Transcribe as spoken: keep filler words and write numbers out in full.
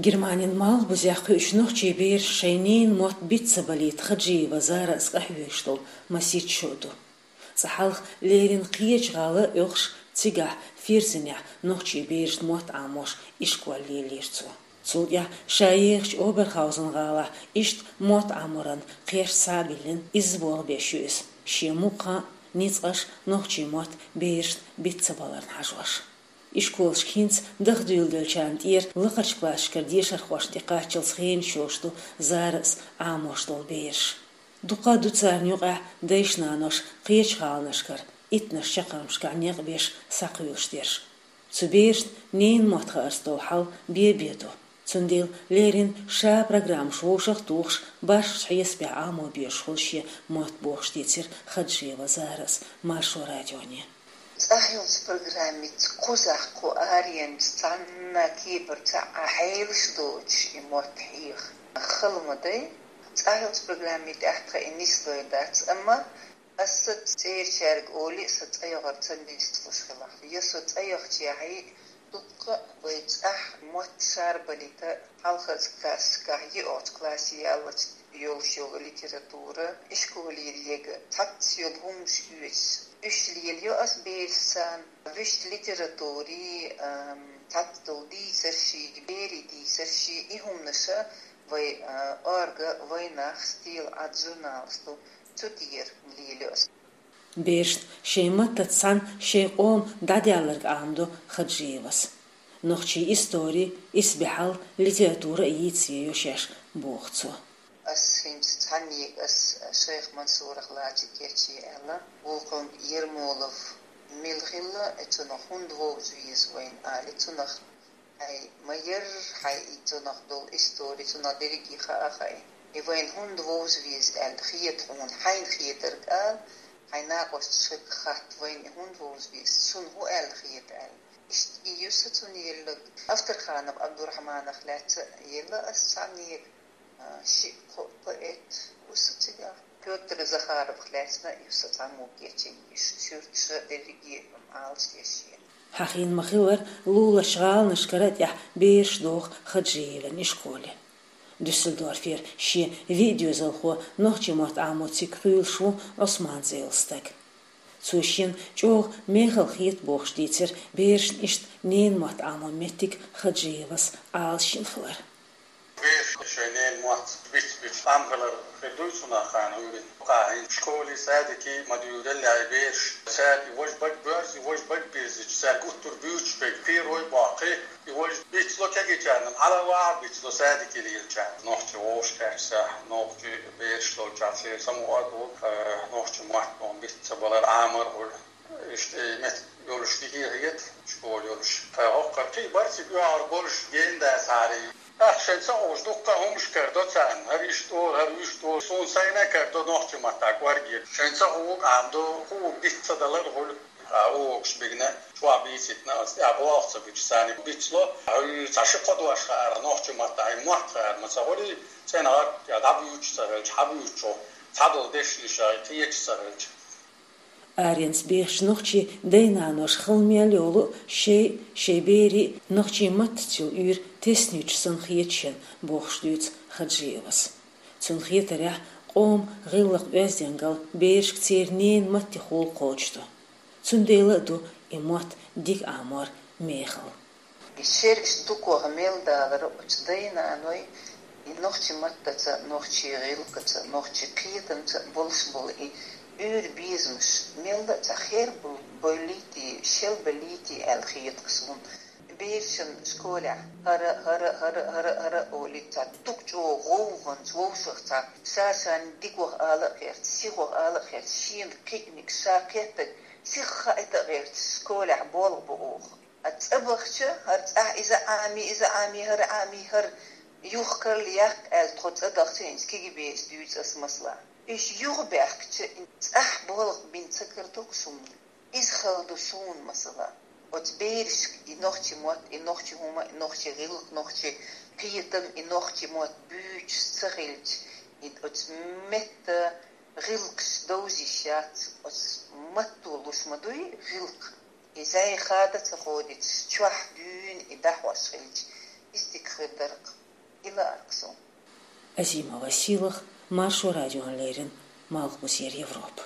Германин малхбузехь кхуьучу нохчийн бераш шайн ненан мотт биц ца балийта Хаджиева Зарас къахьоьгуш долу масийтта шо ду. Цкъа хьалха леррина кхечу гӀала оьхуш, цигахь Фирзенехь нохчийн берашна мотт Ӏамош ишкол лелийра цо. Цул тӀаьхьа ша ехачу Оберхаузен гӀалахь иштта мотт Ӏаморан кхерч схьа а биллина, изза болх беш ю иза, шен мукъа хан а, ницкъаш а нохчийн мотт берашна биц ца баларна хьажош. Ишколашка хӀинца даха дуьйладелчарна тӀера лакхарчу классашкара дешархошна тӀекхаччалц хенаш йолуш ду Зарас Ӏамош долу бераш. Дукха ду царна юкъахь дайша-наноша кхечу гӀаланашкара, иттаннаш чаккхармашкахь некъ беш схьакхуьйлуш дерш. Цу берашна ненан мотт хаарца долу хьал бен-бен ду. Цундела леррина ша программаш вовшах а тухуш, башхачу хьесапехь Ӏамо безаш хуьлу шен мотт бохуш дийцира Хаджиева Зарас Маршо радионе. ЦӀахь йолчу программица кхузахь кху аренца цхьанна кепара ца Ӏа хьелаш доцуш и мотт хьеха хала ма дай. ЦӀахь йолчу программи тӀехь тхан и нислой дац, амма аса цӀерачаьрга олий, сан цӀа йогӀур ца нислуш хилахь. Я со цӀа яхча яхьий, дуккха а вай цӀахь мотт шарбалийта, хьалхарчу классашкахь йоьалгӀачу классе яллалц йолуш йолу литература, ишколера ега, цхьацца йолу хӀуманаш оьцуш, уьш лелайо ас берашца, вуьшта литературий, ам, цхьацца долу дийцарший, берийн дийцарший, и хӀуманаша вай, а, «Орга», «Вайнах», «Стелаат» журналаш ду, цу тӀера лелайо ас. Берашна шайн маттаца цхьаьна шайн къоман дӀадаьлларг Ӏамадо Хаджиевас. Нохчийн истори, исбаьхьалла, литература а йийца еза шаьш, боху цо. Ас хӀинца цхьаннега ас шайх Мансурах лача кечъе аьлла, вукхунга Ермолов мила хилла, и цунах хӀунда вовза веза вайна али, цунах хьайн ма ярра, хьайн и цунах долу истори, цунах дерриге хаа хаьа. И вайна хӀунда вовза веза аьлла хета хьуна, хьайна хетарг ала, хьайн накъосташка хатта, вайна и хӀунда вовза веза, шуна хӀун аьлла хета аьлла. Иштта и ю сан цунна елларг. Авторханов Абдурахманах лаьцна елла ас цхьаннега, а, шиъ-кхоъ поэт ву сан цигахь. Пётр Захаровах лаьцна а ю сан цхьаммо кечйина, иштта суьрташа дерриге а Ӏалашдеш шена. Хьахийна ма-хиллара, луларчу гӀаланашкара а тӀехь бераш доху Хаджиеван ишколе. Дюссельдорфера шен виъ доьзалхо нохчийн мотт Ӏамо цига кхуьйлуш ву Ӏусман цӀе йолу стаг. Цо шена чӀогӀа мехала хета бохуш дийцира берашна иштта ненан мотт Ӏамон меттиг Хаджиевас Ӏалашйина хилар. Бераш шайн ненан мотт биц-биц Ӏамхилар хир дуй цунах хан вуьйриг. Кхахьийна школий, садикий ма дуьйраллехь и бераш. Цаьрга и важа бага боьрзий, важа бага бирзича, цаьрга гуттар буьйцуш берг, кхерой боккхий, и важа бицло кегийчарна, хьала а ваха бицло садике лелачарна. Нохчи вовшахкхетча, нохчи бераш долчохь церан самукъа а ду, э, нохчи мотт ма биц ца балар, Ӏамар хуьлу. Иштта и меттиг йолуш дика хета, школа йолуш. Тхан хӀокхара кхин а бара цига оьгӀар болуш гена дацахьара. ТӀаккха шайн ца хууш дуккха а хӀуманаш карадо царна. ХӀара иштта олу, хӀара уьштта олу. Суна сайна а карадо нохчи маттахь кӀорге. Шайн ца хууг Ӏамадо, хууг диц ца далар хуьлу. Ткъа угӀуш бигна, чохь бийцитна, аса тӀехь болх ца бича, царна бицло. Хьуьйра цхьа ши-кхо дош хаьара нохчи маттахь, и мотт хаьара ма ца хуьлий, цӀена гӀаг я дӀабуьйцуш ца хилча, хьабуьйцучохь, цхьадолу дешнаш а кхеташ ца хилча. Аренца бехачу нохчийн дай-наноша хала мел йолу шайн, шайн берийн нохчийн маттаца йолу уьйр теснуьйтуш санна хета шена, бохуш дуьйцу Хаджиевас. Цунна хетарехь, къоман гӀиллакх-оьздангалла берашка церан ненан маттехула кхочуш ду. Цундела а ду и мотт дика Ӏамор мехала. И шераш дукха мел далар оцу дай-наной, и нохчи маттаца, нохчи гӀиллакхаца, нохчи кхетамца болуш болу и уьйр-безамаш мелла а цхьа хер бу-, бойлийтий, шел балийтий аьлла хета суна. Берашна школехь хӀара, хӀара, хӀара, хӀара, хӀара олий, цхьа дукха чӀогӀа гӀовгӀанца, вовшахца, ша-шайна дикох ала а гӀерта, сихох ала а гӀерта, шена кхиъниг, ша кхеттиг сиха хаийта а гӀерта, школехь болх бо оха. А цӀа бахча, хӀара цӀахь иза Ӏами, иза Ӏами, хӀара Ӏами, хӀара юха карла яккха аьлла, тхо цӀа дахча, хӀинца кегий бераш дуьйцу ас масала. Уьш юха баьхкича, цӀахь болх бина ца карадо-кх суна. Иза хала ду суна масала. Оцу берашка и нохчи мотт, и нохчи хӀума, и нохчи гӀиллакх, нохчи кхетам, и нохчи мотт буьйцуш ца хилча, и оцу метта гӀиллакхаш довза йиш яц, оцу матто луш ма дуй гӀиллакх. И зӀе хада ца ходуьйтуш, чохь дуьйна и дӀахьош хилча, истик хир даргӀа, ила аргсу. Азима Василах, Маршо радион леррина, Малхбузера Европа.